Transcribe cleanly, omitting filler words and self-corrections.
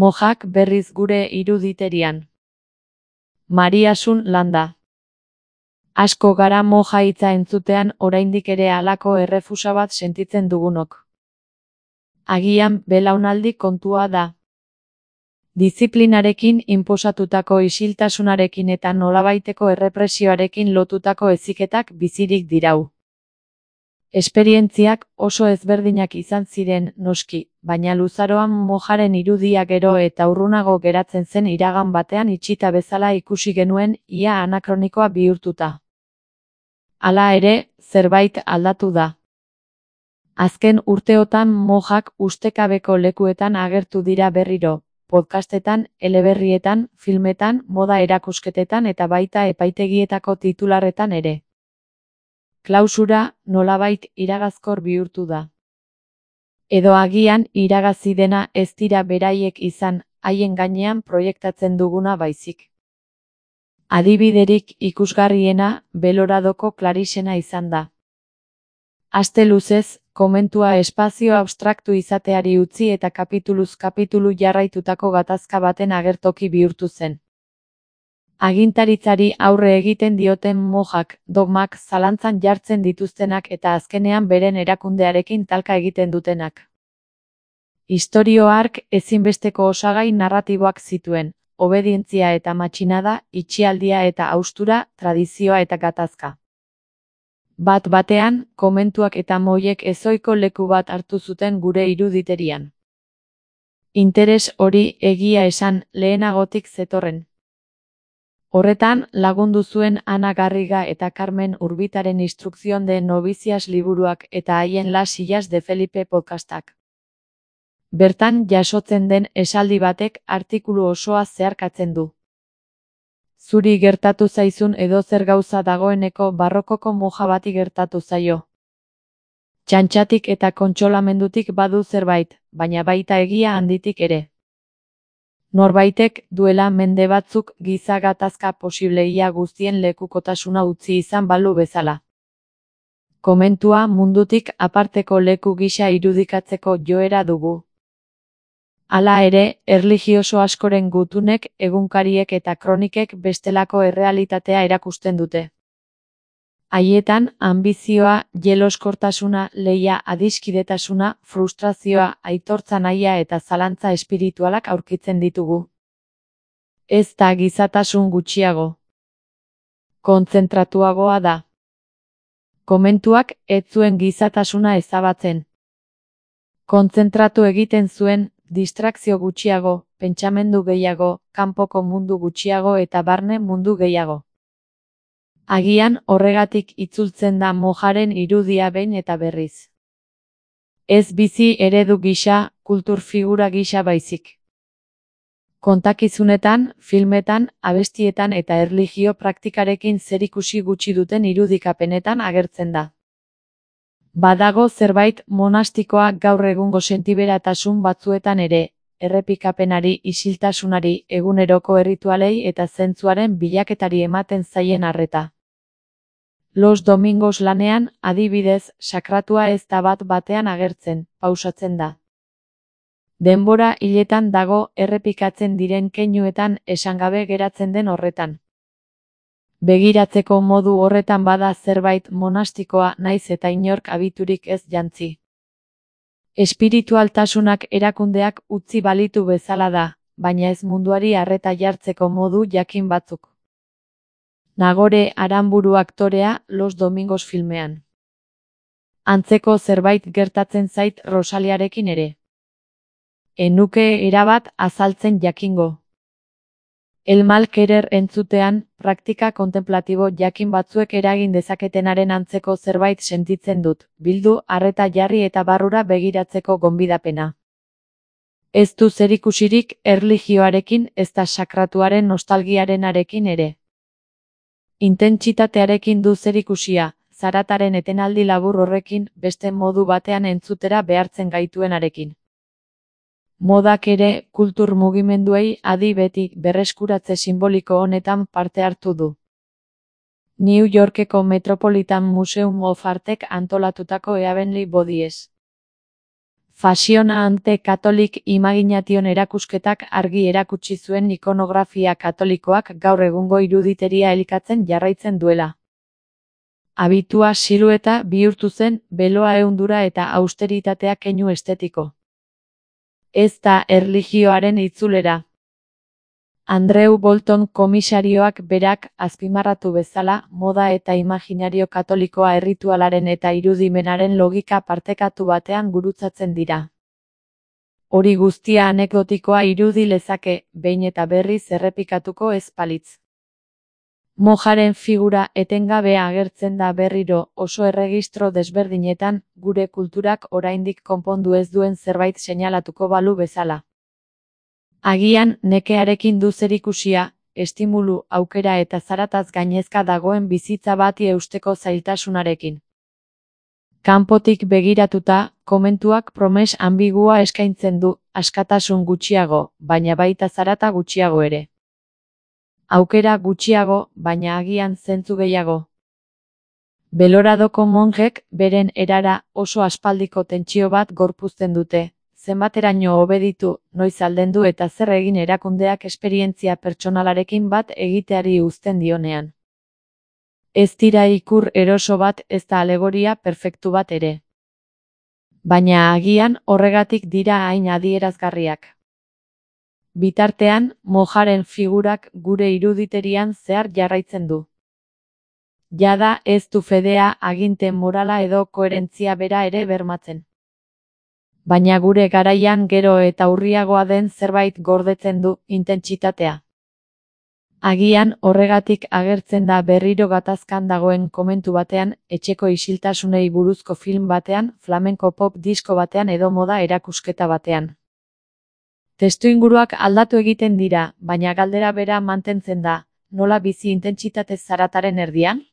Mojak berriz gure iruditerian. Mariasun Landa. Asko gara moja hitza entzutean oraindik ere halako errefusa bat sentitzen dugunok. Agian belaunaldi kontua da. Diziplinarekin inposatutako isiltasunarekin eta nolabaiteko errepresioarekin lotutako heziketak bizirik dirau. Esperientziak oso ezberdinak izan ziren, noski, baina luzaroan mojaren irudia gero eta urrunago geratzen zen iragan batean itxita bezala ikusi genuen, ia anakronikoa bihurtuta. Hala ere, zerbait aldatu da. Azken urteotan mojak ustekabeko lekuetan agertu dira berriro, podcastetan, eleberrietan, filmetan, moda erakusketetan eta baita epaitegietako titularretan ere. Klausura nolabait iragazkor bihurtu da. Edo agian iragazi dena ez dira beraiek izan, haien gainean proiektatzen duguna baizik. Adibiderik ikusgarriena Beloradoko Clarixena izan da. Aste luzez, komentua espazio abstraktu izateari utzi eta kapituluz kapitulu jarraitutako gatazka baten agertoki bihurtu zen. Agintaritzari aurre egiten dioten mojak, dogmak zalantzan jartzen dituztenak eta azkenean beren erakundearekin talka egiten dutenak. Istorio hark ezinbesteko osagai narratiboak zituen, obedientzia eta matxinada, itxialdia eta haustura, tradizioa eta gatazka. Bat-batean, komentuak eta moiek ezohiko leku bat hartu zuten gure iruditerian. Interes hori egia esan lehenagotik zetorren. Horretan, lagundu zuen Ana Garriga eta Carmen Urbitaren Instrucción de Novicias liburuak eta haien Las Sillas de Felipe podcastak. Bertan jasotzen den esaldi batek artikulu osoa zeharkatzen du. Zuri gertatu zaizun edozer gauza dagoeneko barrokoko moja bati gertatu zaio. Txantxatik eta kontsolamendutik badu zerbait, baina baita egia handitik ere. Norbaitek duela mende batzuk giza gatazka posibleia guztien lekukotasuna utzi izan balu bezala. Komentua mundutik aparteko leku gisa irudikatzeko joera dugu. Hala ere, erlijioso askoren gutunek, egunkariek eta kronikek bestelako errealitatea erakusten dute. Haietan, anbizioa, jeloskortasuna, lehia, adiskidetasuna, frustrazioa, aitortza nahia eta zalantza espiritualak aurkitzen ditugu. Ez da gizatasun gutxiago. Kontzentratuagoa da. Komentuak ez zuen gizatasuna ezabatzen. Kontzentratu egiten zuen, distrakzio gutxiago, pentsamendu gehiago, kanpoko mundu gutxiago eta barne mundu gehiago. Agian horregatik itzultzen da mojaren irudia behin eta berriz. Ez bizi eredu gisa, kultur figura gisa baizik. Kontakizunetan, filmetan, abestietan eta erlijio praktikarekin zerikusi gutxi duten irudikapenetan agertzen da. Badago zerbait monastikoa gaur egungo sentiberatasun batzuetan ere, errepikapenari, isiltasunari, eguneroko erritualei eta zentzuaren bilaketari ematen zaien arreta. Los Domingos lanean, adibidez, sakratua ez da bat-batean agertzen, pausatzen da. Denbora hiletan dago errepikatzen diren keinuetan esangabe geratzen den horretan. Begiratzeko modu horretan bada zerbait monastikoa naiz eta inork abiturik ez jantzi. Espiritualtasunak erakundeak utzi balitu bezala da, baina ez munduari arreta jartzeko modu jakin batzuk. Nagore Aranburu aktorea Los Domingos filmean. Antzeko zerbait gertatzen zait Rosaliarekin ere. Enuke erabat azaltzen jakingo. El mal querer entzutean, praktika kontemplatibo jakin batzuek eragin dezaketenaren antzeko zerbait sentitzen dut, bildu, arreta jarri eta barrura begiratzeko gonbidapena. Ez du zerikusirik erlijioarekin ezta sakratuaren nostalgiarenarekin ere. Intentsitatearekin du zerikusia, zarataren etenaldi labur horrekin beste modu batean entzutera behartzen gaituenarekin. Modak ere, kultur mugimenduei adi beti berreskuratze simboliko honetan parte hartu du. New Yorkeko Metropolitan Museum of Artek antolatutako Heavenly Bodies Fascinante Catholic Imagination erakusketak argi erakutsi zuen ikonografia katolikoak gaur egungo iruditeria elikatzen jarraitzen duela. Habitua silueta bihurtu zen, beloa ehundura eta austeritatea keinu estetiko. Ez da erlijioaren itzulera. Andrew Bolton komisarioak berak azpimarratu bezala, moda eta imaginario katolikoa erritualaren eta irudimenaren logika partekatu batean gurutzatzen dira. Hori guztia anekdotikoa irudi lezake, behin eta berriz errepikatuko ez balitz. Mojaren figura etengabe agertzen da berriro oso erregistro desberdinetan, gure kulturak oraindik konpondu ez duen zerbait seinalatuko balu bezala. Agian nekearekin du zerikusia, estimulu, aukera eta zarataz gainezka dagoen bizitza bati eusteko zailtasunarekin. Kanpotik begiratuta, komentuak promes ambigua eskaintzen du, askatasun gutxiago, baina baita zarata gutxiago ere. Aukera gutxiago, baina agian zentzu gehiago. Beloradoko monjek beren erara oso aspaldiko tentsio bat gorpuzten dute. Zenbateraino obeditu, noiz aldendu eta zer egin erakundeak esperientzia pertsonalarekin bat egiteari uzten dionean. Ez dira ikur eroso bat ez da alegoria perfektu bat ere. Baina agian horregatik dira hain adierazgarriak. Bitartean, mojaren figurak gure iruditerian zehar jarraitzen du. Jada ez du fedea, aginte morala edo koherentzia bera ere bermatzen. Baina gure garaian gero eta urriagoa den zerbait gordetzen du, intentsitatea. Agian horregatik agertzen da berriro gatazkan dagoen komentu batean, etxeko isiltasunei buruzko film batean, flamenko pop disko batean edo moda erakusketa batean. Testuinguruak aldatu egiten dira, baina galdera bera mantentzen da, nola bizi intentsitate zarataren erdian?